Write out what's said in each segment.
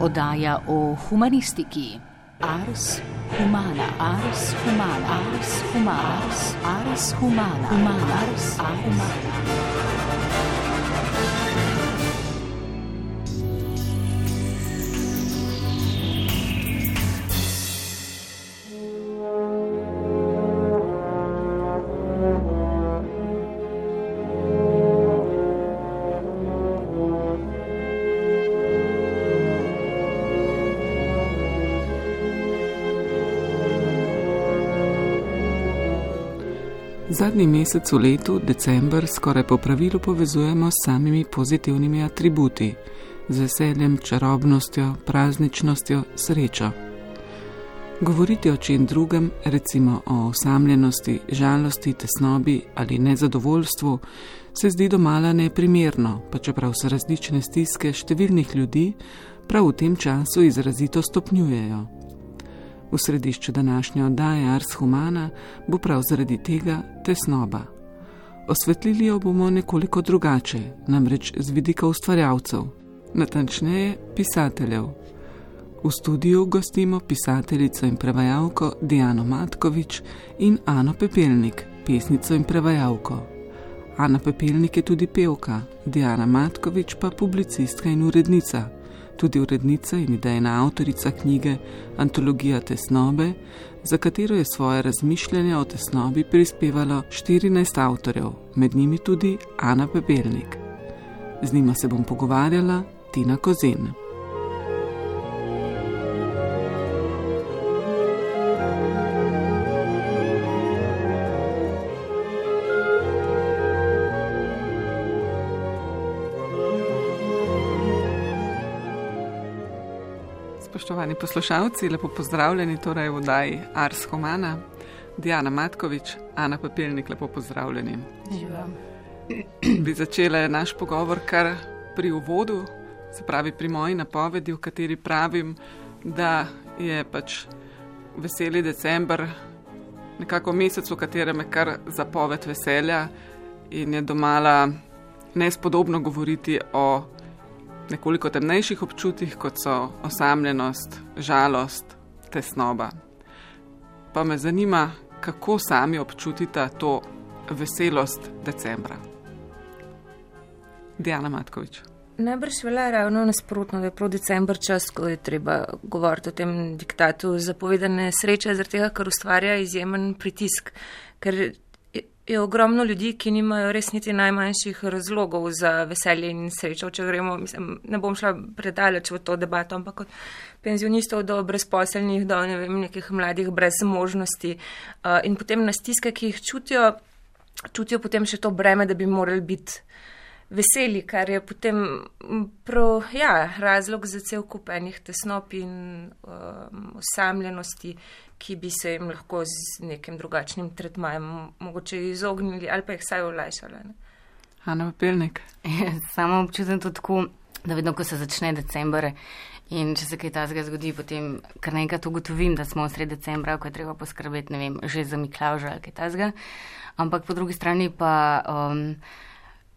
Oddaja o humanistiki. Ars humana, ars humana, ars humana, ars humana, ars humana. Zadnji mesec v letu, december, skoraj po pravilu povezujemo s samimi pozitivnimi atributi, z veseljem, čarobnostjo, prazničnostjo, srečo. Govoriti o čem drugem, recimo o osamljenosti, žalosti, tesnobi ali nezadovoljstvu, se zdi domala neprimerno, pa čeprav se različne stiske številnih ljudi prav v tem času izrazito stopnjujejo. V središču današnje oddaje Ars Humana bo prav zaradi tega tesnoba. Osvetlili jo bomo nekoliko drugače, namreč z vidika ustvarjalcev, natančneje pisateljev. V studiu gostimo pisateljico in prevajalko Diano Matkovič in Ano Pepelnik, pesnico in prevajalko. Ana Pepelnik je tudi pevka, Diana Matkovič pa publicistka in urednica, tudi urednica in idejna avtorica knjige Antologija tesnobe, za katero je svoje razmišljanja o tesnobi prispevalo 14 avtorjev, med njimi tudi Ana Pepelnik. Z njima se bom pogovarjala Tina Kozen. Spoštovani poslušalci, lepo pozdravljeni torej v oddaji Ars Humana. Diana Matkovič, Ana Pepelnik, lepo pozdravljeni. Živam. Bi začela naš pogovor kar pri uvodu, se pravi pri moji napovedi, v kateri pravim, da je pač veseli december nekako mesec, v katerem je kar zapoved veselja in je domala nespodobno govoriti o nekoliko temnejših občutih, kot so osamljenost, žalost, tesnoba. Pa me zanima, kako sami občutita to veselost decembra. Diana Matkovič. Najbrž velja ravno nasprotno, da je prav december čas, ko je treba govoriti o tem diktatu zapovedane sreče, zaradi tega, ker ustvarja izjemen pritisk, ker je ogromno ljudi, ki nimajo res niti najmanjših razlogov za veselje in srečo. Če gremo, ne bom šla predaleč v to debato, ampak od penzionistov do brezposelnih, do nekih mladih brez možnosti. In potem na stiske, ki jih čutijo potem še to breme, da bi morali biti veseli, kar je potem razlog za cel kup enih tesnob in osamljenosti, ki bi se jim lahko z nekim drugačnim tretmajem mogoče izognili ali pa jih vsaj olajšali. Ana Pepelnik. Samo občutim to tako, da vedno, ko se začne december in če se kaj takega zgodi, potem kar nekaj ugotovim, da smo v sredi decembra, ko je treba poskrbeti, ne vem, že za Miklavža ali kaj takega. Ampak po drugi strani pa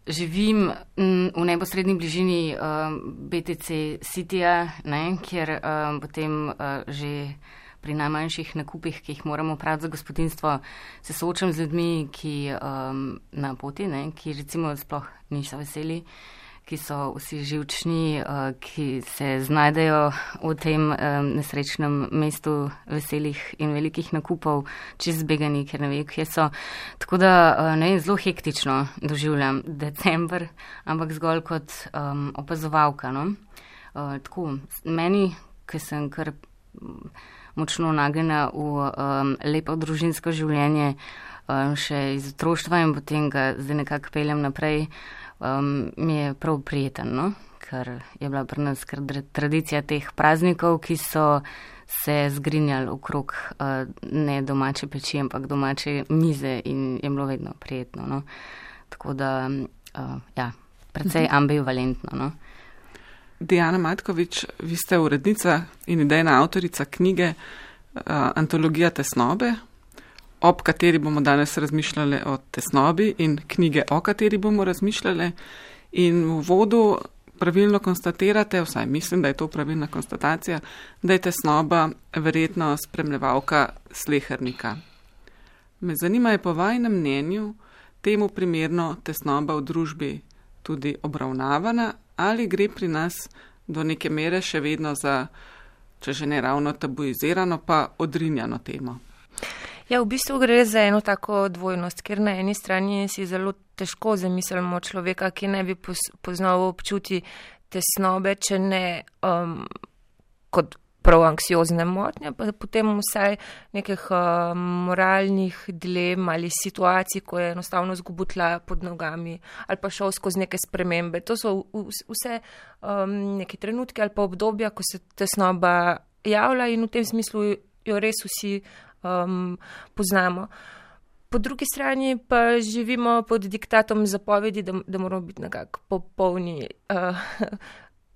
živim v neposredni bližini BTC Cityja, kjer potem že pri najmanjših nakupih, ki jih moramo opraviti za gospodinjstvo, se soočam z ljudmi, ki na poti, ki recimo sploh niso veseli, ki so vsi živčni, ki se znajdejo v tem nesrečnem mestu veselih in velikih nakupov, čez zbegani, ker ne vejo, kje so. Tako da zelo hektično doživljam december, ampak zgolj kot opazovalka. Tako, meni, ki sem kar močno nagnjena v lepo družinsko življenje, še iz otroštva in potem ga zdaj nekako peljem naprej, mi je prav prijeten, ker je bila pri nas tradicija teh praznikov, ki so se zgrinjali okrog ne domače peči, ampak domače mize in je bilo vedno prijetno. Tako da, precej ambivalentno. Diana Matkovič, vi ste urednica in idejna avtorica knjige Antologija tesnobe, ob kateri bomo danes razmišljali o tesnobi in knjige, o kateri bomo razmišljali. In v uvodu pravilno konstatirate, vsaj mislim, da je to pravilna konstatacija, da je tesnoba verjetno spremljevalka slehernika. Me zanima, je po vajnem mnenju temu primerno tesnoba v družbi tudi obravnavana ali gre pri nas do neke mere še vedno za, če že ne ravno tabuizirano, pa odrinjano temo? Ja, v bistvu gre za eno tako dvojnost, ker na eni strani si zelo težko zamislimo človeka, ki ne bi poznal občuti tesnobe, če ne kot prav anksiozne motnje, pa potem vsaj nekih moralnih dilem ali situacij, ko je enostavno izgubil tla pod nogami ali pa šel skozi neke spremembe. To so vse neki trenutki ali pa obdobja, ko se tesnoba javlja in v tem smislu jo res vsi poznamo. Po drugi strani pa živimo pod diktatom zapovedi, da moramo biti nekako popolni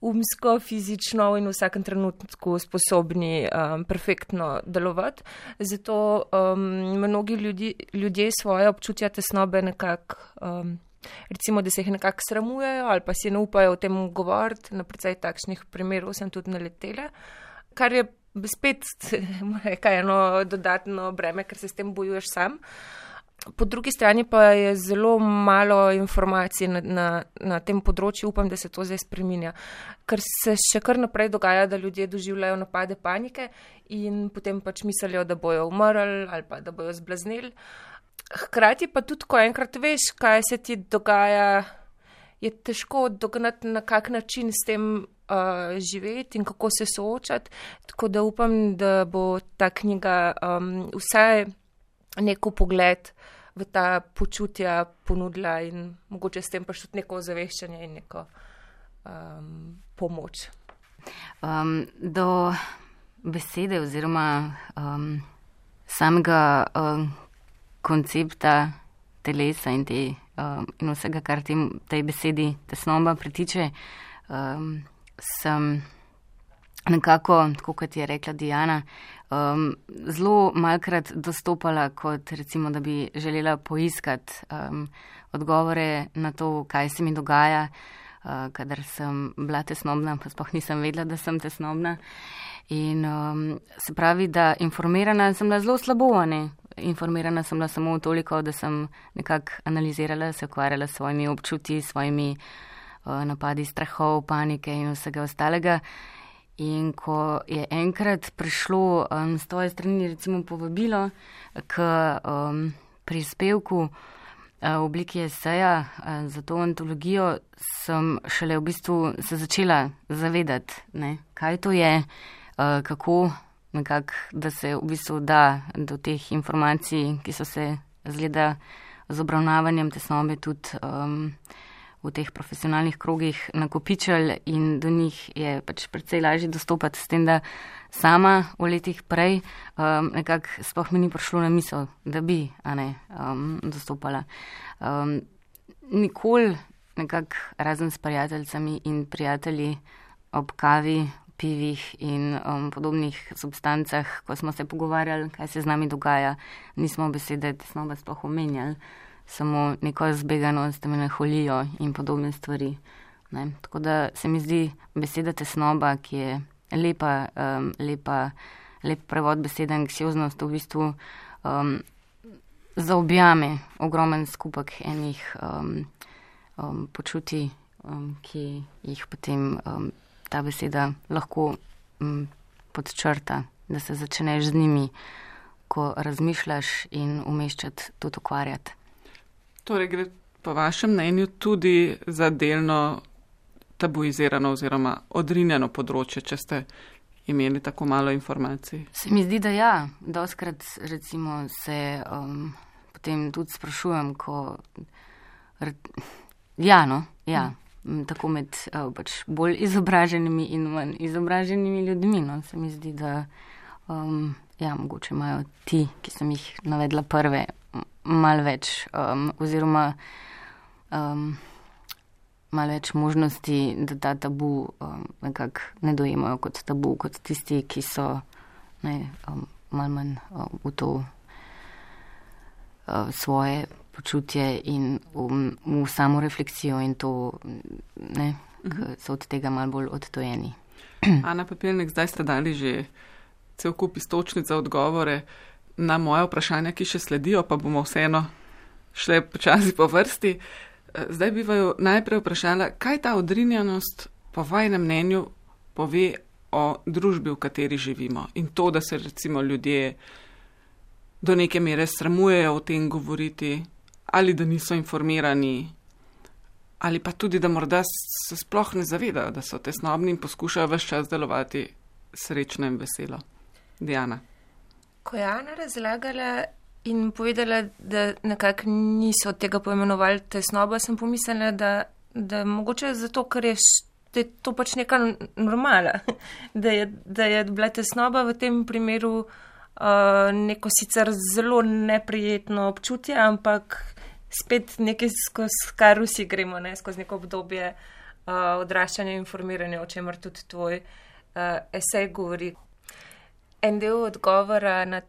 umsko, fizično in v vsakem trenutku sposobni perfektno delovati. Zato mnogi ljudje svoje občutja tesnobe nekako, recimo, da se jih nekako sramujejo ali pa si ne upajo o tem govoriti. Na precej takšnih primerov sem tudi naletela, kar je spet eno dodatno breme, ker se s tem bojuješ sam. Po drugi strani pa je zelo malo informacij na tem področju, upam, da se to zdaj spreminja. Ker se še kar naprej dogaja, da ljudje doživljajo napade panike in potem pač mislijo, da bojo umrli ali pa da bojo zblazneli. Hkrati pa tudi, ko enkrat veš, kaj se ti dogaja, je težko dognati, na kak način s tem živeti in kako se soočati. Tako da upam, da bo ta knjiga vsaj neko pogled v ta počutja ponudila in mogoče s tem pa tudi neko ozaveščanje in neko pomoč. Do besede oziroma samega koncepta telesa in vsega, kar tej besedi tesnoba pritiče, sem nekako, tako kot je rekla Diana, zelo malkrat dostopala kot recimo, da bi želela poiskati odgovore na to, kaj se mi dogaja, kadar sem bila tesnobna, pa sploh nisem vedela, da sem tesnobna. In se pravi, da informirana sem bila zelo slabo, ne? Informirana sem bila samo toliko, da sem nekako analizirala, se ukvarjala s svojimi občutji, svojimi napadi strahov, panike in vsega ostalega. In ko je enkrat prišlo s tvoje strani recimo povabilo k prispevku v obliki eseja za to antologijo, sem šele v bistvu se začela zavedati, ne, kaj to je, kako nekako, da se v bistvu da do teh informacij, ki so se zgleda z obravnavanjem tesnobe tudi v teh profesionalnih krogih nakopičili in do njih je pač precej lažje dostopati s tem, da sama v letih prej nekako sploh mi ni prišlo na misel, da bi dostopala. Nikoli nekako razen s prijateljicami in prijatelji ob kavi, pivih in podobnih substancah, ko smo se pogovarjali, kaj se z nami dogaja, nismo besede tesnoba sploh omenjali. Samo neko zbeganost, melanholijo in podobne stvari. Ne? Tako da se mi zdi beseda tesnoba, ki je lep prevod besede anksioznost, v bistvu zaobjame ogromen skupek enih počutij, ki jih potem ta beseda lahko podčrta, da se začneš z njimi, ko razmišljaš in umeščati, tudi ukvarjati. Torej gre po vašem mnenju tudi za delno tabuizirano oziroma odrinjeno področje, če ste imeli tako malo informacij? Se mi zdi, da ja. Dostkrat recimo se potem tudi sprašujem, ko tako med pač bolj izobraženimi in manj izobraženimi ljudmi. No. Se mi zdi, da mogoče imajo ti, ki sem jih navedla prve, malo več oziroma malo več možnosti, da ta tabu nekako ne dojemajo kot tabu, kot tisti, ki so malo manj v to svoje počutje in v samo refleksijo in to ki so od tega malo bolj odtojeni. Ana Pepelnik, zdaj ste dali že cel kup iztočnic za odgovore na moje vprašanja, ki še sledijo, pa bomo vseeno šle počasi po vrsti. Zdaj bi vaju najprej vprašala, kaj ta odrinjanost po vajnem mnenju pove o družbi, v kateri živimo. In to, da se recimo ljudje do neke mere sramujejo o tem govoriti, ali da niso informirani, ali pa tudi, da morda se sploh ne zavedajo, da so tesnobni in poskušajo ves čas delovati srečno in veselo. Diana. Ko je Ana razlagala in povedala, da nekako niso tega poimenovali tesnoba, sem pomislila, da mogoče zato, ker je to pač neka normala, da je bila tesnoba v tem primeru neko sicer zelo neprijetno občutje, ampak spet nekaj, skozi kar vsi gremo, skozi neko obdobje odraščanja in informiranja, o čemer tudi tvoj esej govori. En del odgovora na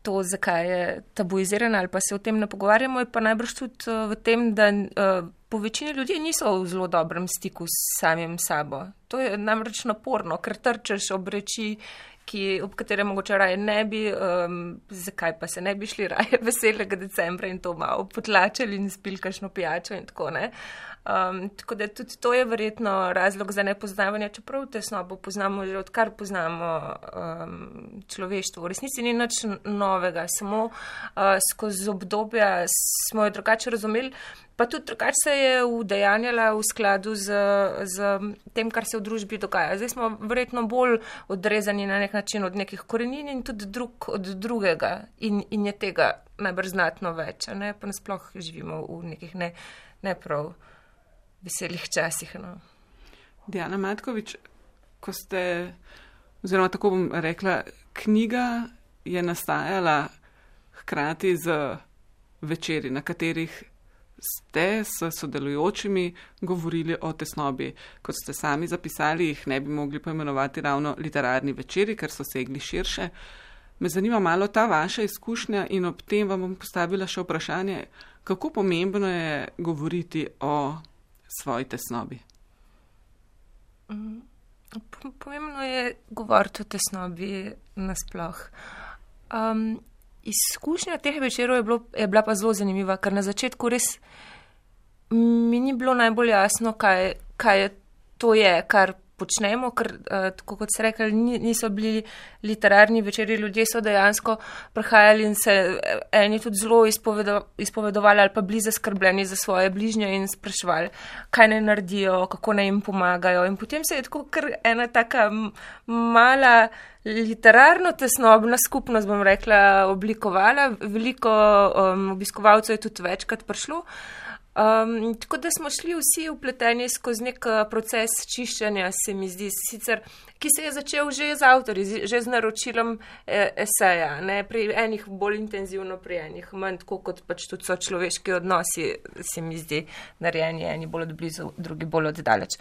to, zakaj je tabuizirana ali pa se o tem ne pogovarjamo, je pa najbrž tudi v tem, da po večini ljudi niso v zelo dobrem stiku s samim sabo. To je namreč naporno, ker trčeš ob reči, ob katerem mogoče raje ne bi, zakaj pa se ne bi šli raje veselega decembra in to malo potlačili in spili kakšno pijačo in tako, ne. Tako da tudi to je verjetno razlog za nepoznavanje, čeprav tesnobo poznamo že odkar poznamo človeštvo. V resnici ni nič novega, samo skozi obdobja smo jo drugače razumeli, pa tudi drugače se je udejanjala v skladu z tem, kar se v družbi dogaja. Zdaj smo verjetno bolj odrezani na nek način od nekih korenin in tudi drug od drugega in je tega najbrž znatno več, ne? Pa nasploh živimo v nekih ne prav veselih časih. No. Diana Matkovič, ko ste, oziroma tako bom rekla, knjiga je nastajala hkrati z večeri, na katerih ste s sodelujočimi govorili o tesnobi. Kot ste sami zapisali, jih ne bi mogli poimenovati ravno literarni večeri, ker so segli širše. Me zanima malo ta vaša izkušnja in ob tem vam bom postavila še vprašanje, kako pomembno je govoriti o svoji tesnobi? Pomembno je govoriti o tesnobi nasploh. Izkušnja teh večerov je bila pa zelo zanimiva, ker na začetku res mi ni bilo najbolj jasno, kaj to je, kar počnemo, ker, tako kot ste rekli, niso bili literarni večeri, ljudje so dejansko prihajali in se eni tudi zelo izpovedovali ali pa bili zaskrbljeni za svoje bližnje in spraševali, kaj naj naredijo, kako naj jim pomagajo. In potem se je tako kar ena taka mala literarno tesnobna skupnost, bom rekla, oblikovala. Veliko obiskovalcev je tudi večkrat prišlo. Tako da smo šli vsi vpleteni skozi nek proces čiščenja, se mi zdi, sicer, ki se je začel že z avtorji, že z naročilom eseja, ne, pri enih bolj intenzivno, pri enih manj, tako kot pač tudi so človeški odnosi, se mi zdi, narejeni, eni bolj od blizu, drugi bolj od daleč.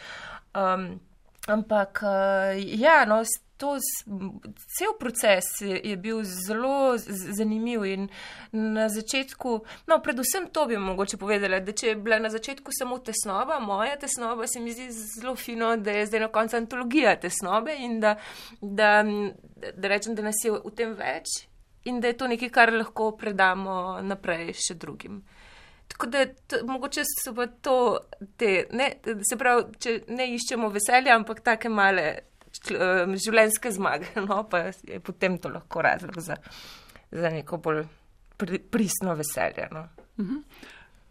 Ampak, ja, no, cel proces je bil zelo zanimiv in na začetku, no, predvsem to bi mogoče povedala, da če je bila na začetku samo tesnoba, moja tesnoba, se mi zdi zelo fino, da je zdaj na koncu antologija tesnobe in da rečem, da nas je v tem več in da je to nekaj, kar lahko predamo naprej še drugim. Tako da mogoče so pa to se pravi, če ne iščemo veselja, ampak take male življenjske zmage, no, pa je potem to lahko razlog za neko bolj pristno veselje. No.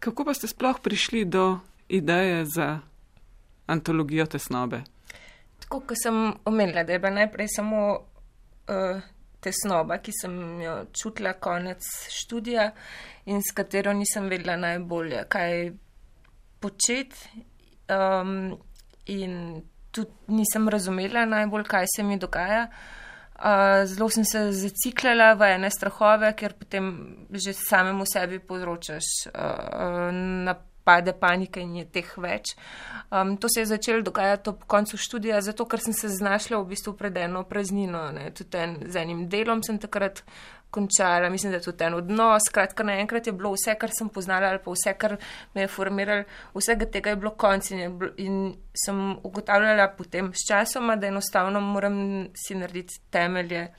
Kako pa ste sploh prišli do ideje za antologijo tesnobe? Tako, ko sem omenila, da je bila najprej samo tesnoba, ki sem jo čutila konec študija in s katero nisem vedela najbolje, kaj početi in tudi nisem razumela najbolj, kaj se mi dogaja. Zelo sem se zaciklala v ene strahove, ker potem že samemu sebi povzročaš pade panika in je teh več. To se je začelo dogajati ob koncu študija, zato ker sem se znašla v bistvu pred eno praznino. Tudi z enim delom sem takrat končala, mislim, da tudi en odnos. Skratka, naenkrat je bilo vse, kar sem poznala ali pa vse, kar me je formiralo, vsega tega je bilo konc in sem ugotavljala potem s časoma, da enostavno moram si narediti temelje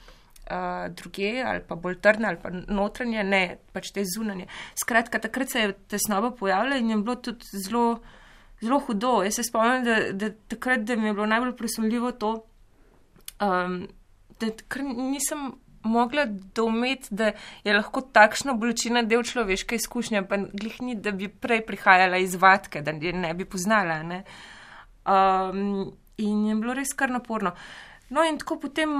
druge ali pa bolj trdne ali pa notranje, ne pač te zunanje. Skratka, takrat se je tesnoba pojavila in je bilo tudi zelo hudo. Jaz se spomnim, da takrat, da mi je bilo najbolj presunljivo to, da takrat nisem mogla doumeti, da je lahko takšna bolečina del človeške izkušnje, pa glih ni, da bi prej prihajala iz vatke, da je ne bi poznala. Ne? In je bilo res kar naporno. No in tako potem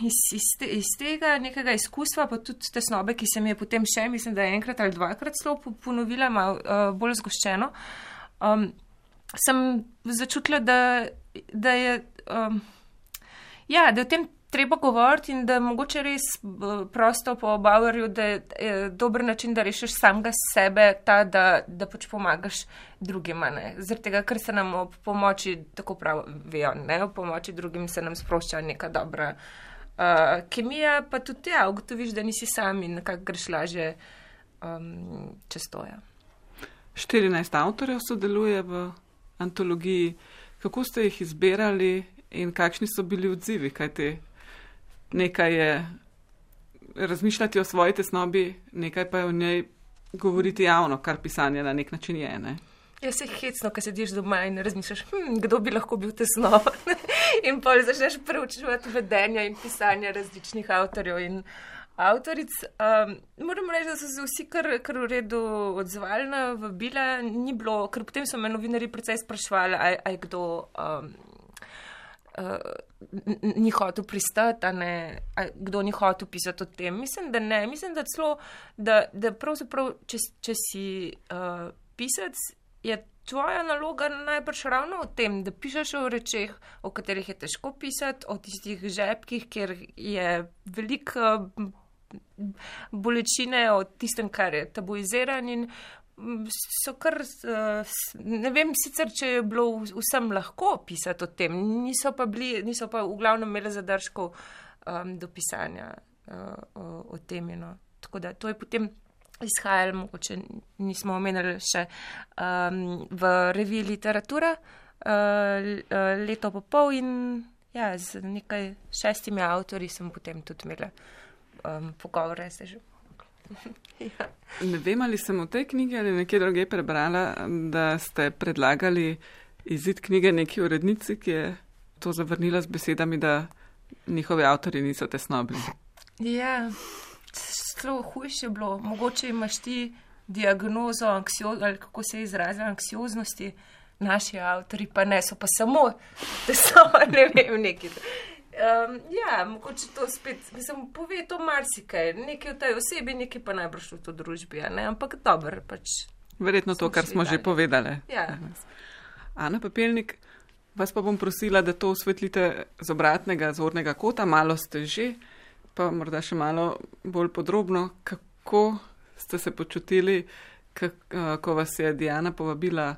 iz tega nekega izkustva, pa tudi tesnobe, ki se mi je potem še, mislim, da enkrat ali dvakrat celo ponovila, malo bolj zgoščeno, sem začutila, da je v tem treba govoriti in da mogoče res prosto po Bauerju, da je dober način, da rešiš samega sebe, ta, da pač pomagaš drugima. Zaradi tega, ker se nam ob pomoči, tako pravijo, ob pomoči drugim se nam sprošča neka dobra kemija, pa tudi ugotoviš, da nisi sam in nekako greš lažje čez to. 14 avtorjev sodeluje v antologiji. Kako ste jih izbirali in kakšni so bili odzivi, kajti nekaj je razmišljati o svoji tesnobi, nekaj pa je o njej govoriti javno, kar pisanje na nek način je, ne? Ja, se hecno, ko sediš doma in razmišljaš, kdo bi lahko bil tesnoba. In potem začneš preučevati vedenja in pisanja različnih avtorjev in avtoric. Moram reči, da so se vsi kar v redu odzvali na vabila, ni bilo, ker potem so me novinarji precej sprašvali, a je kdo ni hotel pristati, kdo ni hotel pisati o tem. Mislim, da ne. Mislim, da celo, da pravzaprav, če si pisec, je tvoja naloga najbrž ravno o tem, da pišeš o rečeh, o katerih je težko pisati, o tistih žepkih, kjer je veliko bolečine, o tistem, kar je tabuiziran in so kar, ne vem sicer, če je bilo vsem lahko pisati o tem, niso pa v glavnem imeli zadržkov do pisanja o tem. No. Tako da to je potem izhajalo, mogoče nismo omenili še v reviji Literatura leto pa pol in z nekaj 6 avtorji sem potem tudi imela pogovore, se že. Ja. Ne vem, ali sem v tej knjigi ali nekje druge prebrala, da ste predlagali izid knjige neki urednici, ki je to zavrnila z besedami, da njihovi avtorji niso tesnobni. Ja, zelo hujše je bilo. Mogoče imaš ti diagnozo ali kako se izrazi, anksioznosti, naši avtorji pa ne, so pa samo tesnobni, ne vem, neki. Mogoče to spet, pove to marsikaj, nekaj v tej osebi, nekaj pa najbrž v to družbi, ne? Ampak dobro, pač. Verjetno to, kar smo že povedali. Ja. Ana Pepelnik, vas pa bom prosila, da to osvetlite z obratnega zornega kota, malo ste že, pa morda še malo bolj podrobno, kako ste se počutili, ko vas je Diana povabila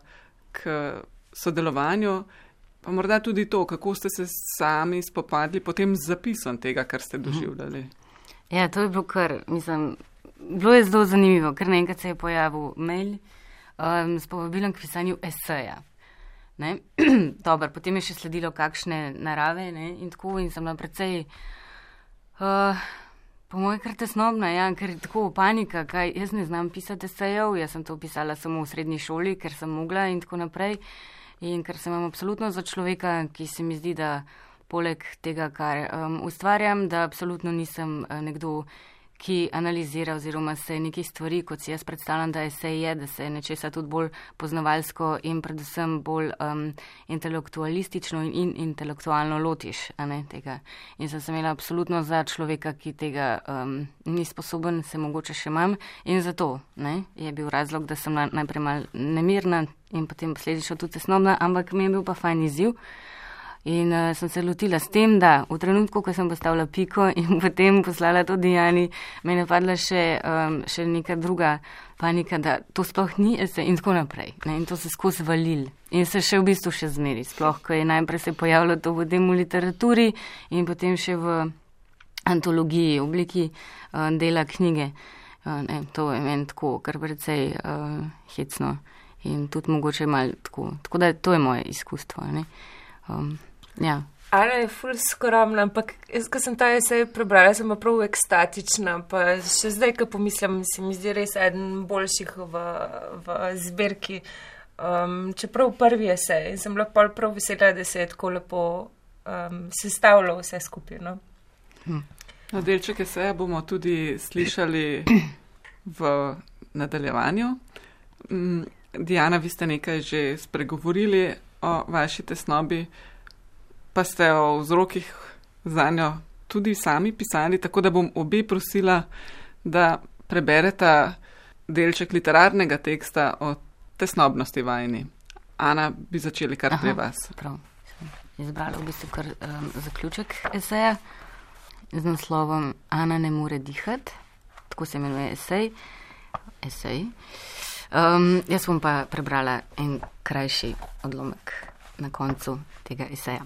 k sodelovanju. Pa morda tudi to, kako ste se sami spopadli potem z zapisom tega, kar ste doživljali. Ja, to je bilo bilo je zelo zanimivo, ker naenkrat se je pojavil mail s povabilom k pisanju eseja. Dobar, potem je še sledilo kakšne narave, in tako, in sem bila precej, po moje kar tesnobna, ker je tako panika, jaz ne znam pisati esejev, jaz sem to pisala samo v srednji šoli, ker sem mogla in tako naprej. In ker sem absolutno za človeka, ki se mi zdi, da poleg tega, kar ustvarjam, da absolutno nisem nekdo, ki analizira oziroma se nekih stvari, kot si jaz predstavljam, da esej je, da se nečesa tudi bolj poznavalsko in predvsem bolj intelektualistično in intelektualno lotiš tega. In sem se imela absolutno za človeka, ki tega ni sposoben, se mogoče še imam. In zato je bil razlog, da sem najprej malo nemirna in potem posledično tudi tesnobna, ampak mi je bil pa fajn izziv. In sem se lotila s tem, da v trenutku, ko sem postavila piko in potem poslala to Dijani, me je napadla še neka druga panika, da to sploh ni esej in tako naprej. Ne? In to se skozi valil. In se še v bistvu še zmeri. Sploh, ko je najprej se pojavilo to potem v literaturi in potem še v antologiji, v obliki dela knjige. To je meni tako, kar precej hecno. In tudi mogoče malo tako. Tako da to je moje izkustvo. Ne? Ja. Ana je ful skromna, ampak jaz, ko sem ta esej prebrala, sem pa prav ekstatična, pa še zdaj, ko pomislim, se mi zdi res eden boljših v zbirki. Čeprav prvi esej in sem bila prav vesela, da se je tako lepo sestavilo vse skupaj. No? Delček eseja bomo tudi slišali v nadaljevanju. Dijana, vi ste nekaj že spregovorili o vaši tesnobi, pa ste o vzrokih za njo tudi sami pisali, tako da bom obe prosila, da prebereta delček literarnega teksta o tesnobnosti vajni. Ana, bi začeli kar pri vas. Prav. Izbrala v bistvu kar zaključek eseja z naslovom Ana ne more dihati, tako se imenuje esej. Jaz bom pa prebrala en krajši odlomek na koncu tega eseja.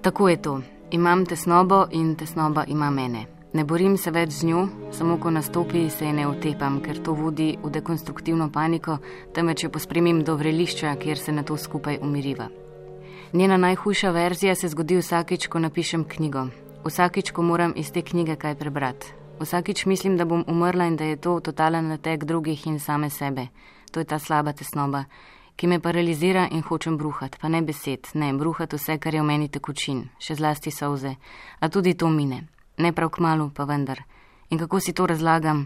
Tako je to. Imam tesnobo in tesnoba ima mene. Ne borim se več z njo, samo ko nastopi, se je ne otepam, ker to vodi v dekonstruktivno paniko, temveč jo pospremim do vrelišča, kjer se na to skupaj umiriva. Njena najhujša verzija se zgodi vsakič, ko napišem knjigo. Vsakič, ko moram iz te knjige kaj prebrati. Vsakič mislim, da bom umrla in da je to totalen natek drugih in same sebe. To je ta slaba tesnoba, ki me paralizira in hočem bruhati, pa ne besed, ne, bruhati vse, kar je v meni tekočin, še zlasti solze, a tudi to mine. Ne prav kmalu, pa vendar. In kako si to razlagam?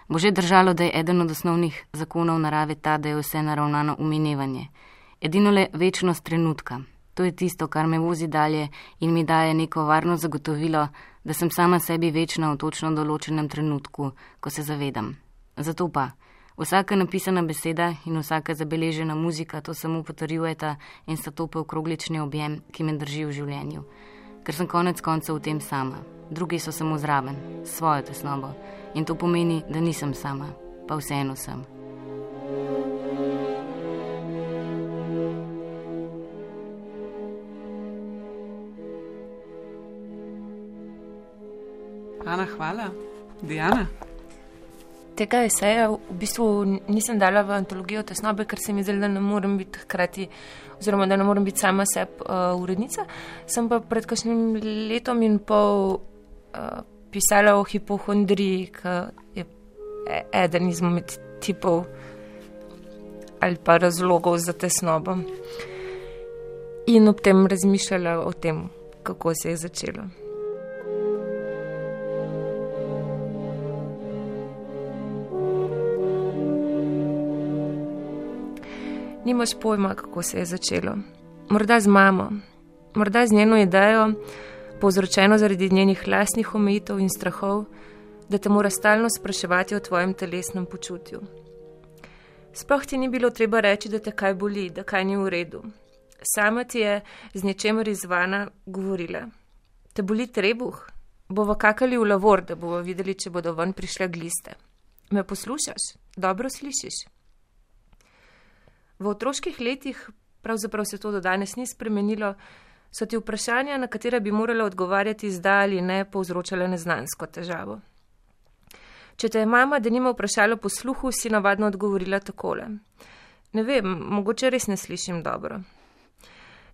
Bo že držalo, da je eden od osnovnih zakonov narave ta, da je vse naravnano v minevanje. Edino le večnost trenutka. To je tisto, kar me vozi dalje in mi daje neko varno zagotovilo, da sem sama sebi večna v točno določenem trenutku, ko se zavedam. Zato pa, vsaka napisana beseda in vsaka zabeležena muzika to samo potrjujeta in sta to polkroglični objem, ki me drži v življenju. Ker sem konec koncev v tem sama. Drugi so samo zraven, svojo tesnobo. In to pomeni, da nisem sama, pa vseeno sem. Ana, hvala. Dijana? Tega eseja v bistvu nisem dala v antologijo tesnobe, ker se mi zdelo, da ne morem biti hkrati, oziroma da ne morem biti sama urednica. Sem pa pred kakšnim letom in pol pisala o hipohondriji, ki je eden izmed tipov ali pa razlogov za tesnobo. In ob tem razmišljala o tem, kako se je začelo. Nimaš pojma, kako se je začelo. Morda z mamo, morda z njeno idejo, povzročeno zaradi njenih lastnih omejitev in strahov, da te mora stalno spraševati o tvojem telesnem počutju. Sploh ti ni bilo treba reči, da te kaj boli, da kaj ni v redu. Sama ti je z nečemer izvana govorila. Te boli trebuh? Bova kakali v lavor, da bova videli, če bodo ven prišle gliste. Me poslušaš? Dobro slišiš? V otroških letih, pravzaprav se to do danes ni spremenilo, so ti vprašanja, na katera bi morala odgovarjati zdaj ali ne, povzročale neznansko težavo. Če te je mama denimo vprašala po sluhu, si navadno odgovorila takole. Ne vem, mogoče res ne slišim dobro.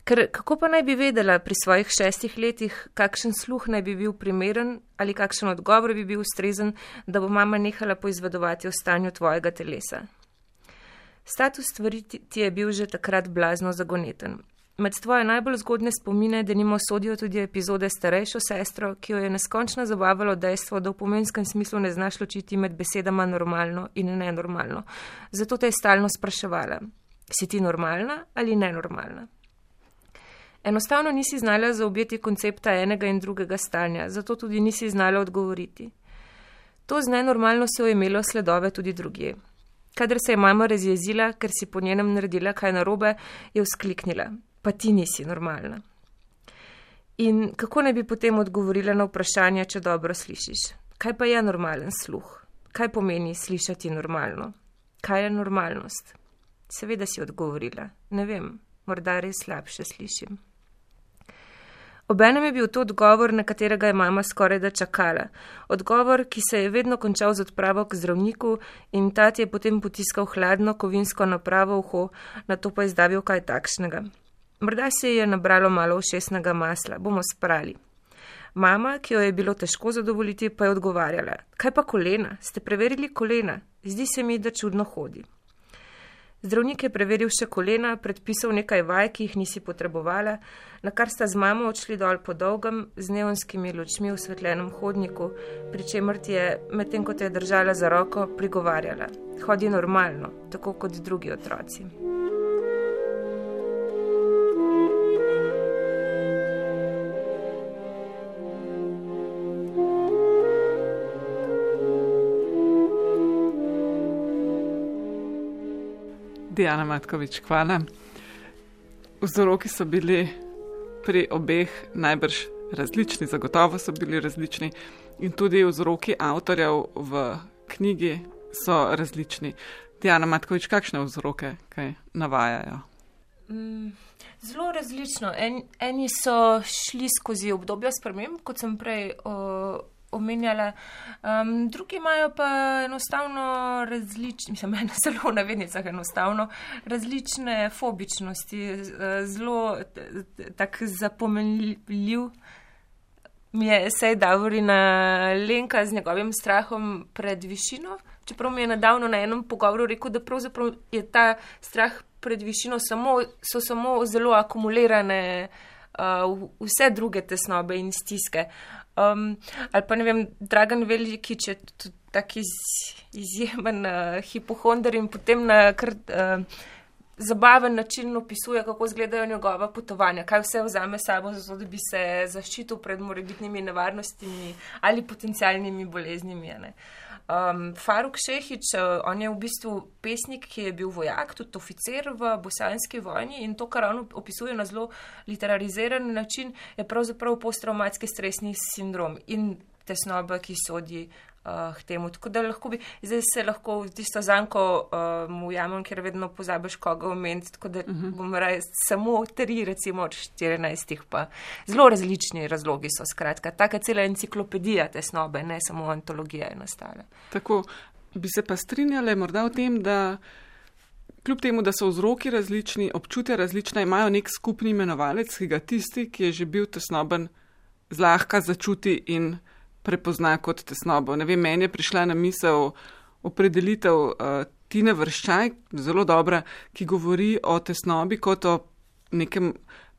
Ker kako pa naj bi vedela pri svojih 6 letih, kakšen sluh naj bi bil primeren ali kakšen odgovor bi bil ustrezen, da bo mama nehala poizvedovati o stanju tvojega telesa. Status stvari ti je bil že takrat blazno zagoneten. Med tvoje najbolj zgodne spomine denimo sodijo tudi epizode s starejšo sestro, ki jo je neskončno zabavalo dejstvo, da v pomenskem smislu ne znaš ločiti med besedama normalno in nenormalno. Zato te je stalno spraševala, si ti normalna ali nenormalna? Enostavno nisi znala zaobjeti koncepta enega in drugega stanja, zato tudi nisi znala odgovoriti. To z nenormalnostjo je imelo sledove tudi drugje. Kadar se je mama razjezila, ker si po njenem naredila kaj narobe, je vzkliknila, pa ti nisi normalna. In kako ne bi potem odgovorila na vprašanje, če dobro slišiš? Kaj pa je normalen sluh? Kaj pomeni slišati normalno? Kaj je normalnost? Seveda si odgovorila, ne vem, morda res slabše slišim. Obenem je bil to odgovor, na katerega je mama skoraj da čakala. Odgovor, ki se je vedno končal z odpravo k zdravniku in ta ti je potem potiskal hladno kovinsko napravo v uho, nato pa izdavil kaj takšnega. Morda se je nabralo malo ušesnega masla, bomo sprali. Mama, ki jo je bilo težko zadovoljiti, pa je odgovarjala. Kaj pa kolena? Ste preverili kolena? Zdi se mi, da čudno hodi. Zdravnik je preveril še kolena, predpisal nekaj vaj, ki jih nisi potrebovala, na kar sta z mamo odšli dol po dolgem, z neonskimi lučmi v osvetljenem hodniku, pri čemer ti je, medtem ko te je držala za roko, prigovarjala. Hodi normalno, tako kot drugi otroci. Dijana Matkovič, hvala. Vzroki so bili pri obeh najbrž različni, zagotovo so bili različni in tudi vzroki avtorjev v knjigi so različni. Dijana Matkovič, kakšne vzroke kaj navajajo? Zelo različno. Eni so šli skozi obdobja sprememb, kot sem prej omenjala, drugi imajo pa enostavno različne, mislim, ena zelo v navednicah enostavno, različne fobičnosti, zelo tak zapomenljiv mi je Sej Davorina Lenka z njegovim strahom pred višino, čeprav mi je nedavno na enem pogovoru rekel, da pravzaprav je ta strah pred višino so samo zelo akumulirane vse druge tesnobe in stiske. Ali pa ne vem, Dragan Velikič je tudi tak izjemen hipohonder in potem na kar zabaven način opisuje, kako izgledajo njegova potovanja, kaj vse vzame sabo, zato da bi se zaščitil pred morebitnimi nevarnostimi ali potencialnimi boleznimi. Faruk Šehić, on je v bistvu pesnik, ki je bil vojak, tudi oficer v bosanski vojni in to, kar on opisuje na zelo literariziran način, je pravzaprav posttraumatski stresni sindrom in tesnoba, ki sodi k temu. Tako da zdaj se lahko v tisto zanko ujamem, ker vedno pozabiš koga omeniti, tako da bom raje samo 3, recimo od 14, pa zelo različni razlogi so, skratka. Taka cela enciklopedija tesnobe, ne samo antologija je nastala. Tako, bi se pa strinjale morda o tem, da kljub temu, da so vzroki različni, občutja različna, imajo nek skupni imenovalec, ki ga tisti, ki je že bil tesnoben, zlahka začuti in prepozna kot tesnobo. Ne vem, meni je prišla na misel opredelitev Tine Vrščaj, zelo dobra, ki govori o tesnobi kot o nekem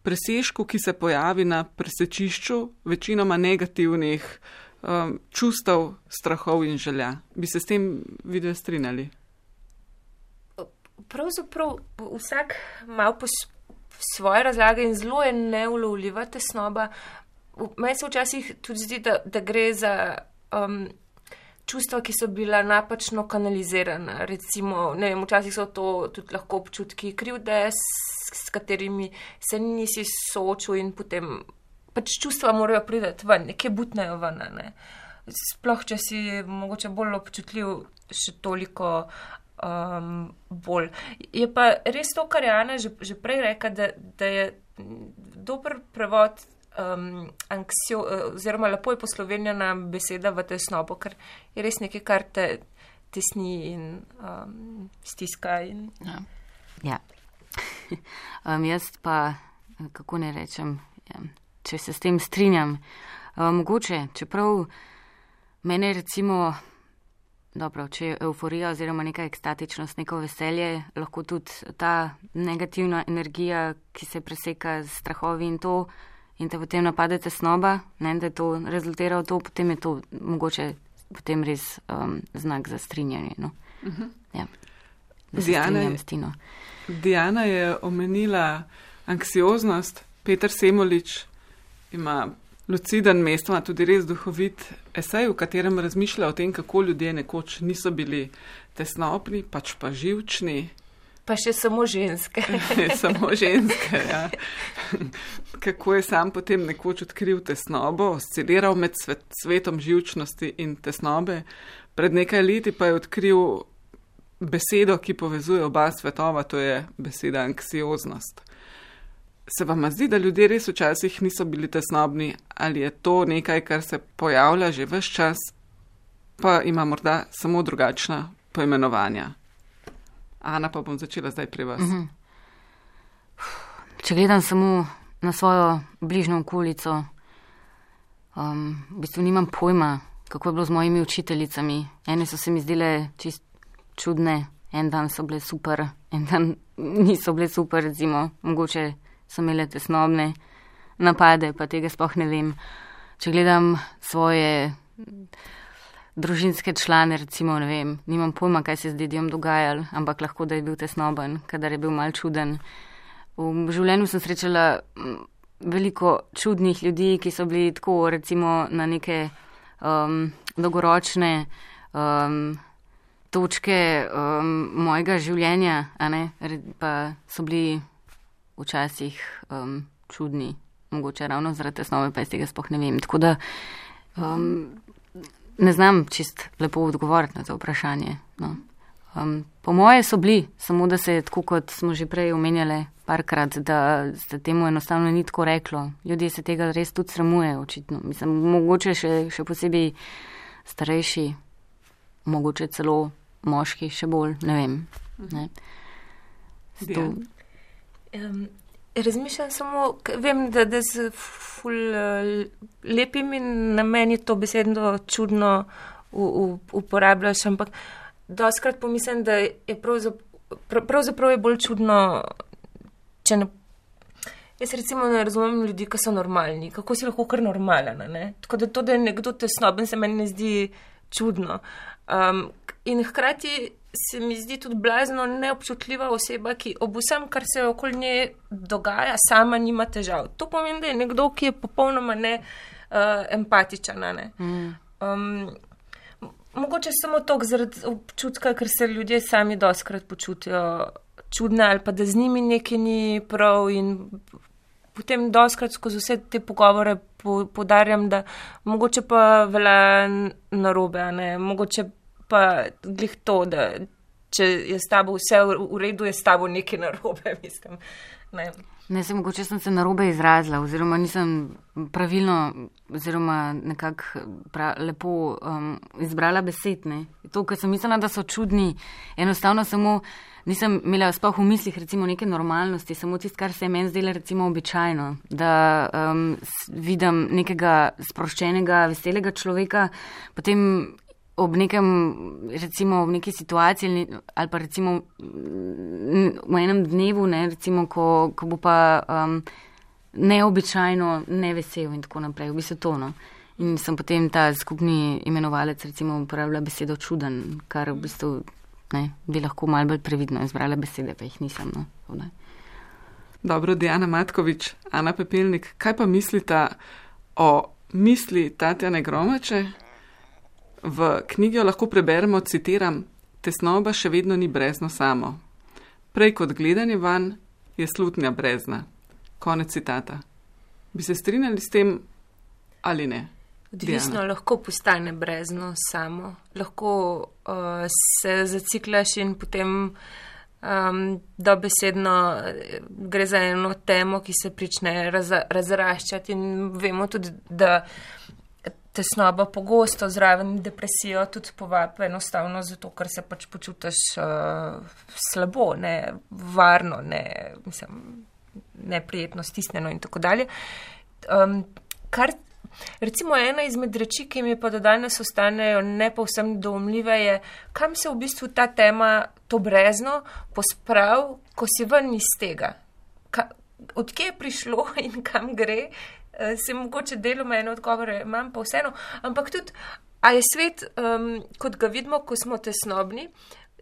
presežku, ki se pojavi na presečišču večinoma negativnih čustev, strahov in želja. Bi se s tem vidve strinjali? Pravzaprav vsak malo po svoje razlage in zelo je neulovljiva tesnoba. Meni se včasih tudi zdi, da gre za čustva, ki so bila napačno kanalizirana. Recimo, ne vem, včasih so to tudi lahko občutki krivde, s katerimi se nisi soočil in potem pač čustva morajo priti ven, nekje butnejo ven. Ne? Sploh, če si mogoče bolj občutljiv, še toliko bolj. Je pa res to, kar je Ana že prej rekla, da je dober prevod oziroma lepo je poslovenjena beseda v tesnobo, ker je res nekaj, kar te tesni in stiska. Ja. Jaz pa, kako ne rečem, če se s tem strinjam, mogoče, čeprav mene recimo dobro, če je euforija oziroma neka ekstatičnost, neko veselje, lahko tudi ta negativna energija, ki se preseka z strahovi in to, in te potem napade tesnoba, ne, da je to rezultira v to, potem je to mogoče potem res znak za strinjanje. No. Ja. Diana je omenila anksioznost, Peter Semolič ima luciden, mestoma tudi res duhovit esej, v katerem razmišlja o tem, kako ljudje nekoč niso bili tesnobni, pač pa živčni. Pa še samo ženske. Samo ženske, ja. Kako je sam potem nekoč odkril tesnobo, osciliral med svetom živčnosti in tesnobe. Pred nekaj leti pa je odkril besedo, ki povezuje oba svetova, to je beseda anksioznost. Se vam zdi, da ljudje res včasih niso bili tesnobni, ali je to nekaj, kar se pojavlja že ves čas, pa ima morda samo drugačna poimenovanja? Ana, pa bom začela zdaj pri vas. Če gledam samo na svojo bližnjo okolico, v bistvu nimam pojma, kako je bilo z mojimi učiteljicami. Ene so se mi zdele čist čudne, en dan so bile super, en dan niso bile super, recimo, mogoče so imele tesnobne napade, pa tega sploh ne vem. Če gledam svoje družinske člane, recimo, ne vem, nimam pojma, kaj se z dedijom dogajalo, ampak lahko, da je bil tesnoben, kadar je bil mal čuden. V življenju sem srečala veliko čudnih ljudi, ki so bili tako, recimo, na neke dolgoročne točke mojega življenja, a ne, pa so bili včasih čudni, mogoče ravno zaradi tesnobe, pa iz tega sploh ne vem. Tako da ne znam čist lepo odgovoriti na to vprašanje. No. Po moje so bili, samo da se je tako, kot smo že prej omenjali parkrat, da se temu enostavno ni tako reklo. Ljudje se tega res tudi sramujejo, očitno. Mislim, mogoče še posebej starejši, mogoče celo moški, še bolj, ne vem. Ne. Razmišljam samo, vem, da z ful lepimi nameni to besedno čudno uporabljaš, ampak doskrat pomislim, da je pravzaprav je bolj čudno, če ne. Jaz recimo ne razumem ljudi, ki so normalni. Kako si lahko kar normalen, ne? Tako da to, da je nekdo tesnoben, se meni ne zdi čudno. In hkrati se mi zdi tudi blazno neobčutljiva oseba, ki ob vsem, kar se okoli nje dogaja, sama nima težav. To pomeni, da je nekdo, ki je popolnoma empatičen. Ne? Mogoče samo toliko zaradi občutka, ker se ljudje sami doskrat počutijo čudne ali pa da z njimi nekaj ni prav in potem doskrat skozi vse te pogovore poudarjam, da mogoče pa velja narobe, ne? Mogoče pa glih to, da če je s tabo vse v redu, je s tabo nekaj narobe, mislim. Ne, mogoče sem se narobe izrazila, oziroma nisem pravilno, oziroma nekako lepo izbrala besed, ne. To, ker sem mislila, da so čudni, enostavno samo nisem imela sploh v mislih recimo neke normalnosti, samo tisto, kar se je meni zdelo recimo običajno, da vidim nekega sproščenega, veselega človeka, potem ob nekem, recimo v neki situaciji ali pa recimo v enem dnevu, ne, recimo, ko bo pa neobičajno nevesel in tako naprej, v bistvu to, no. In sem potem ta skupni imenovalec recimo uporabila besedo čuden, kar v bistvu, ne, bi lahko malo bolj previdno izbrala besede, pa jih nisem, no. Dobro, Diana Matkovič, Ana Pepelnik, kaj pa mislita o misli Tatjane Gromače? V knjigi jo lahko preberemo, citiram, tesnoba še vedno ni brezno samo. Prej kot gledanje vanj je slutnja brezna. Konec citata. Bi se strinjali s tem ali ne? Odvisno, Diana. Lahko postane brezno samo. Lahko se zaciklaš in potem dobesedno gre za eno temo, ki se prične razraščati in vemo tudi, da tesnoba pogosto zraven depresijo tudi povabi enostavno zato, ker se pač počutiš slabo, nevarno, neprijetno, stisnjeno in tako dalje. Kar Recimo ena izmed reči, ki mi pa do danes ostanejo ne povsem doumljive, je, kam se v bistvu ta tema, to brezno, posprav, ko si ven iz tega. Odkje je prišlo in kam gre, se mogoče deloma eno odgovore imam, pa vseeno, ampak tudi, a je svet, kot ga vidimo, ko smo tesnobni,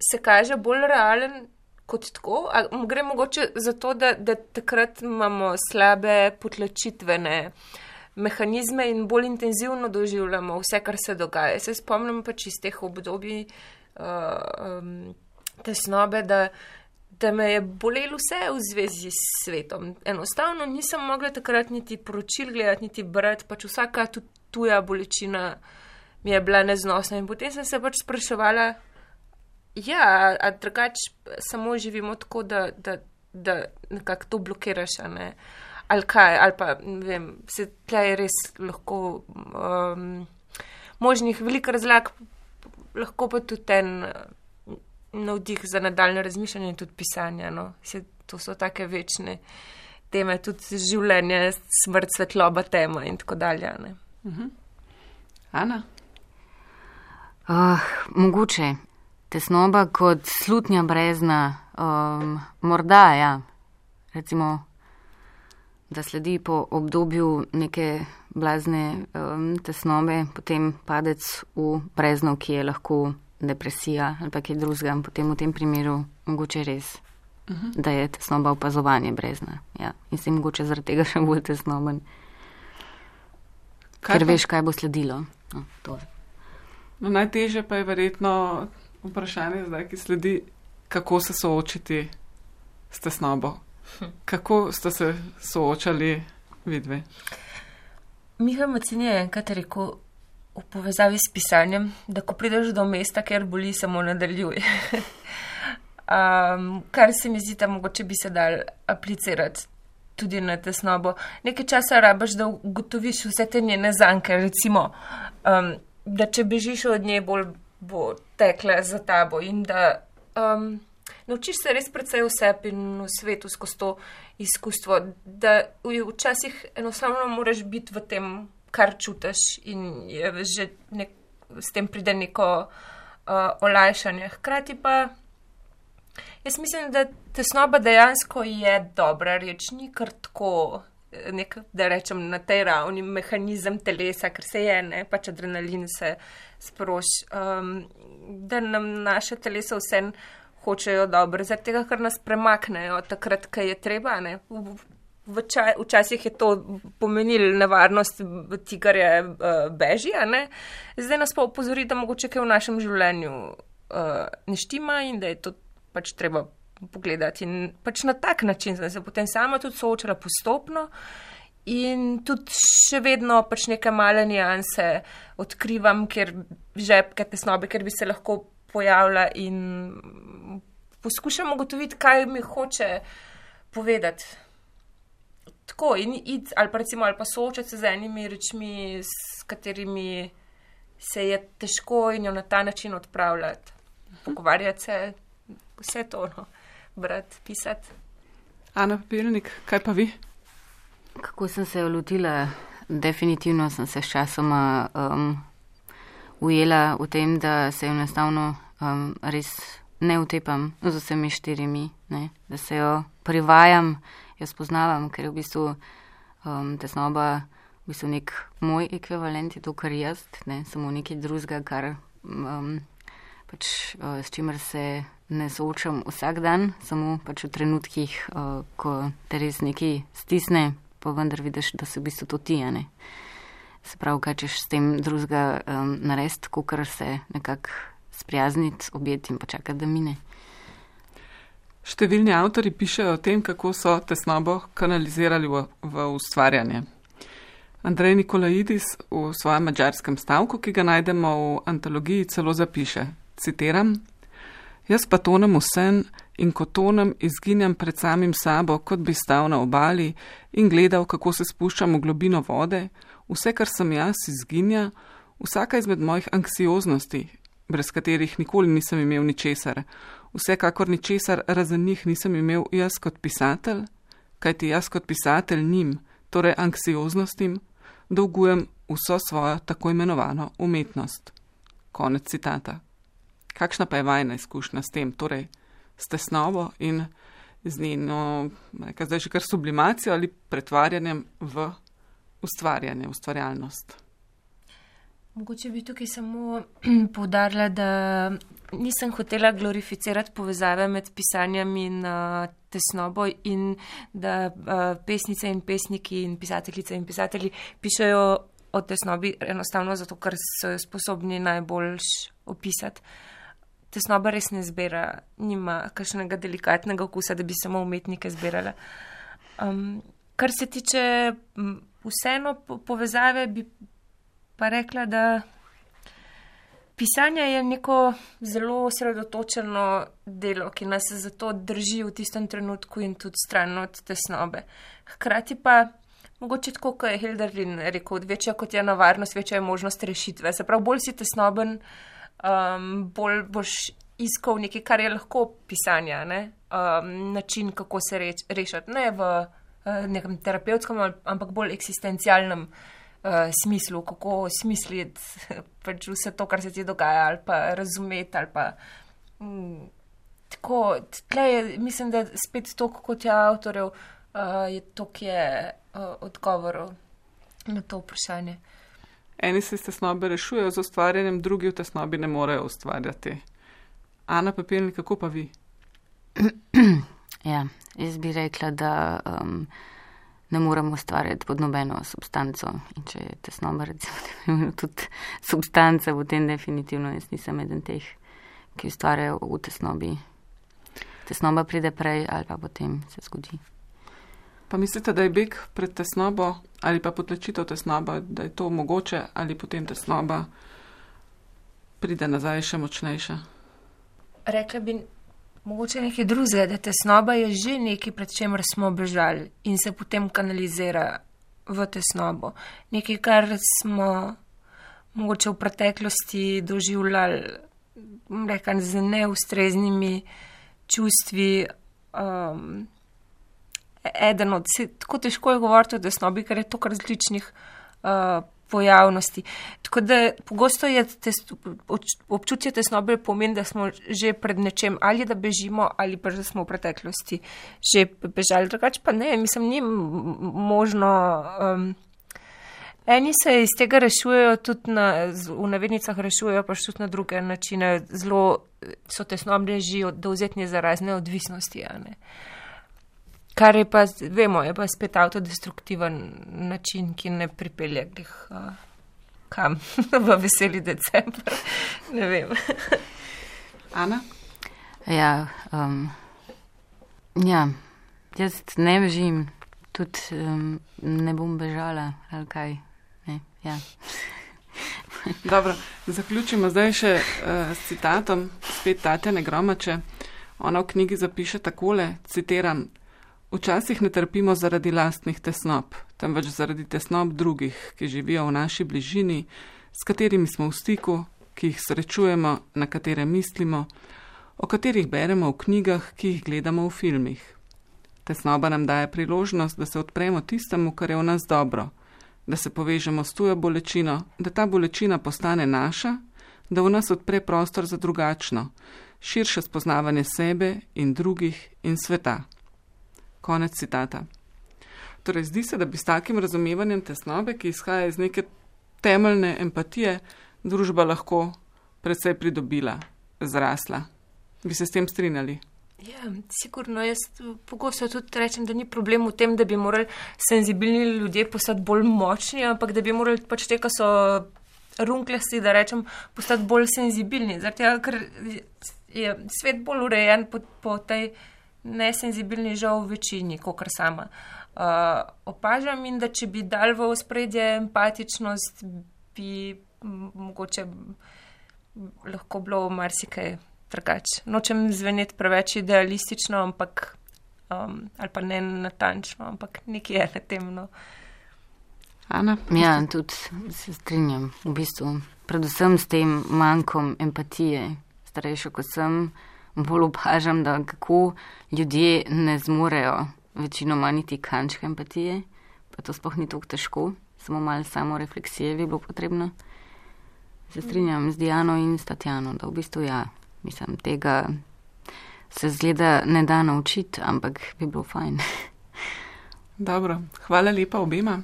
se kaže bolj realen kot tako, a gre mogoče zato, da takrat imamo slabe potlačitvene mehanizme in bolj intenzivno doživljamo vse, kar se dogaja. Se spomnim pač iz teh obdobij tesnobe, da me je bolelo vse v zvezi s svetom. Enostavno nisem mogla takrat niti poročil gledati, niti brati, pač vsaka tuja bolečina mi je bila neznosna in potem sem se pač spraševala, ja, a drugač samo živimo tako, da nekako to blokiraš, a ne? Ali kaj, ali pa, ne vem, se tle je res lahko možnih veliko razlag, lahko pa tudi ten navdih za nadaljne razmišljanje in tudi pisanje, no. To so take večne teme, tudi življenje, smrt, svetloba, tema in tako dalje, ne. Ana? Mogoče. Tesnoba kot slutnja brezna, morda, ja, recimo, da sledi po obdobju neke blazne tesnobe, potem padec v brezno, ki je lahko depresija ali pa kaj drugega, potem v tem primeru mogoče res, da je tesnoba opazovanje brezna, ja, in si mogoče zaradi tega še bolj tesnoben, ker veš, kaj bo sledilo. No, najtežje pa je verjetno vprašanje zdaj, ki sledi, kako se soočiti s tesnobo. Kako ste se soočali vidve? Miha Macin je enkrat rekel v povezavi s pisanjem, da ko prideš do mesta, kjer boli, samo nadaljuj. Kar se mi zdi, da mogoče bi se dal aplicirati tudi na tesnobo. Nekaj časa rabaš, da ugotoviš vse te njene zanke, recimo, da če bežiš od nje, bolj bo tekla za tabo in da naučiš se res precej v sebi in v svetu skozi to izkustvo, da včasih enostavno moraš biti v tem, kar čutiš in je že s tem pride neko olajšanje. Hkrati pa jaz mislim, da tesnoba dejansko je dobra reč, ni kar tako da rečem na tej ravni mehanizem telesa, ker se je, ne, pač adrenalin se sproži, da nam naše telesa vse hočejo dobro, zaradi tega, ker nas premaknejo takrat, kaj je treba, ne. Včasih je to pomenilo nevarnost, tigarje beži, a ne. Zdaj nas pa opozori, da mogoče kaj v našem življenju ne štima in da je to pač treba pogledati in pač na tak način sem se potem sama tudi soočala postopno in tudi še vedno pač neke male nianse odkrivam, ker žepke tesnobe, ker bi se lahko pojavila in poskušam ugotoviti, kaj mi hoče povedati. Tako, in iti, ali pa recimo, ali pa soočati se z enimi rečmi, s katerimi se je težko in jo na ta način odpravljati. Pogovarjati se, vse to, no. Brati, pisati. Ana Papirnik, kaj pa vi? Kako sem se jo lotila? Definitivno sem se s časoma ujela v tem, da se enostavno res ne utepam z vsemi štirimi, ne? Da se jo privajam, jo spoznavam, ker je v bistvu tesnoba v bistvu nek moj ekvivalent, je to kar jaz, ne? Samo nekaj drugega, kar pač s čimer se ne soočam vsak dan, samo pač v trenutkih, ko te res nekaj stisne, pa vendar vidiš, da se v bistvu to ti, ne. Se pravi, kaj češ s tem drugega narediti, kakor se nekako sprijazniti, objeti in počakati, da mine. Številni avtori pišejo o tem, kako so tesnobo kanalizirali v ustvarjanje. Andrej Nikolaidis v svojem madžarskem stavku, ki ga najdemo v antologiji, celo zapiše, citiram: Jaz pa tonem v sen in ko tonem, izginjam pred samim sabo, kot bi stal na obali in gledal, kako se spuščam v globino vode, vse, kar sem jaz, izginja, vsaka izmed mojih anksioznosti, brez katerih nikoli nisem imel ničesar, vsekakor ničesar razen njih nisem imel jaz kot pisatelj, kajti jaz kot pisatelj njim, torej anksioznostim, dolgujem vso svojo tako imenovano umetnost. Konec citata. Kakšna pa je vajna izkušnja s tem, torej s tesnobo in z njeno, zdaj že kar sublimacijo ali pretvarjanjem v ustvarjanje, ustvarjalnost? Mogoče bi tukaj samo poudarila, da nisem hotela glorificirati povezave med pisanjem in tesnobo in da pesnice in pesniki in pisateljice in pisatelji pišejo o tesnobi enostavno zato, ker so jo sposobni najbolj opisati. Tesnoba res ne zbira, nima kakšnega delikatnega okusa, da bi samo umetnike zbirala. Kar se tiče vseeno povezave, bi pa rekla, da pisanje je neko zelo osredotočeno delo, ki nas zato drži v tistem trenutku in tudi stran od tesnobe. Hkrati pa, mogoče tako, kot je Hölderlin rekel, večja kot je nevarnost, večja je možnost rešitve. Se pravi, bolj si tesnoben, bolj boš iskal nekaj, kar je lahko pisanja, način, kako se rešiti. Ne v nekem terapevtskem, ampak bolj eksistencialnem smislu, kako smisliti pač vse to, kar se ti dogaja, ali pa razumeti, ali pa tako. Tle je, mislim, da spet toliko kot je avtorjev, je toliko je odgovorov na to vprašanje. Eni se iz tesnobe rešujejo z ustvarjanjem, drugi v tesnobi ne morejo ustvarjati. Ana Pepelnik, kako pa vi? Ja, jaz bi rekla, da ne moramo ustvarjati pod nobeno substanco. In če je tesnoba, recimo, tudi substanca, potem definitivno jaz nisem eden teh, ki ustvarjajo v tesnobi. Tesnoba pride prej ali pa potem se zgodi. Pa mislite, da je beg pred tesnobo ali pa potlačitev tesnoba, da je to mogoče ali potem tesnoba pride nazaj še močnejša? Rekla bi mogoče nekaj drugega, da tesnoba je že nekaj, pred čemer smo bežali in se potem kanalizira v tesnobo. Nekaj, kar smo mogoče v preteklosti doživljali, rekam, z neustreznimi čustvi. Eden od, tako težko je govoriti o tesnobi, ker je to kar različnih pojavnosti. Tako da pogosto je občutje tesnobe pomeni, da smo že pred nečem, ali da bežimo, ali pa da smo v preteklosti že bežali. Drugače pa ne, mislim, ni možno. Eni se iz tega rešujejo tudi v navednicah rešujejo pa tudi na druge načine. Zelo so tesnobne že dovzetni za razne odvisnosti, kar je pa, vemo, je pa spet avtodestruktiven način, ki ne pripelje kam v veseli december. Ne vem. Ana? Ja, jaz ne bežim, tudi ne bom bežala, ali kaj. Ne, ja. Dobro, zaključimo zdaj še s citatom, spet Tatjane Gromače. Ona v knjigi zapiše takole, citiram: Včasih ne trpimo zaradi lastnih tesnob, temveč zaradi tesnob drugih, ki živijo v naši bližini, s katerimi smo v stiku, ki jih srečujemo, na katere mislimo, o katerih beremo v knjigah, ki jih gledamo v filmih. Tesnoba nam daje priložnost, da se odpremo tistemu, kar je v nas dobro, da se povežemo s tujo bolečino, da ta bolečina postane naša, da v nas odpre prostor za drugačno, širše spoznavanje sebe in drugih in sveta. Konec citata. Torej, zdi se, da bi s takim razumevanjem tesnobe, ki izhaja iz neke temeljne empatije, družba lahko precej pridobila, zrasla. Bi se s tem strinjali? Ja, sigurno. Jaz pogosto tudi rečem, da ni problem v tem, da bi morali senzibilni ljudje postati bolj močni, ampak da bi morali pač te, ki so runkljasti, da rečem, postati bolj senzibilni. Zaradi tega, ker je svet bolj urejen po tej nesenzibilni žal v večini, kakor sama opažam, in da če bi dal v ospredje empatičnost, bi mogoče lahko bilo marsikaj drugače. Nočem zveneti preveč idealistično, ampak ali pa ne natančno, ampak nekaj je na tem. Ana? Ja, tudi se strinjam v bistvu. Predvsem s tem manjkom empatije. Starejša, ko sem, bolj opažam, da kako ljudje ne zmorejo večinoma niti kančka empatije, pa to sploh ni tako težko. samo malo samorefleksije bi bilo potrebno. Se strinjam z Diano in s Tatjano, da v bistvu mislim, tega se zgleda ne da naučiti, ampak bi bilo fajn. Dobro, hvala lepa obema.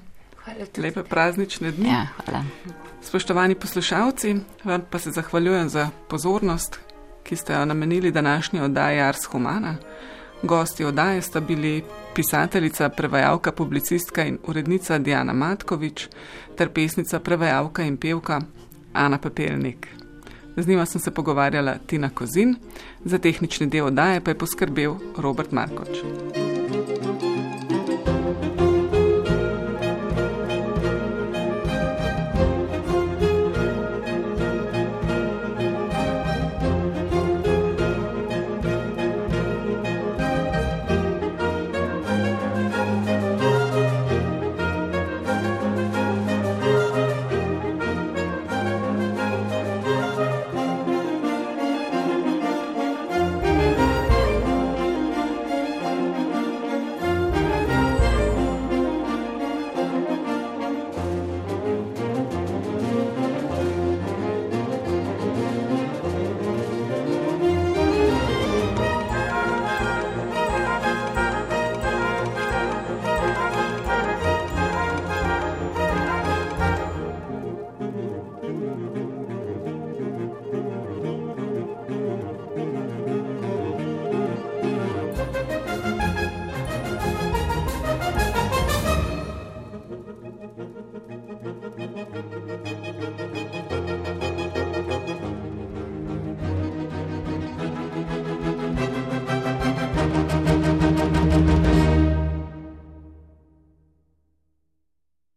Lepe praznične dni. Ja, hvala. Spoštovani poslušalci, vam pa se zahvaljujem za pozornost, ki ste jo namenili današnji oddaji Ars Humana. Gosti oddaje sta bili pisateljica, prevajalka, publicistka in urednica Diana Matkovič ter pesnica, prevajalka in pevka Ana Pepelnik. Z njima sem se pogovarjala Tina Kozin, za tehnični del oddaje pa je poskrbel Robert Markoč.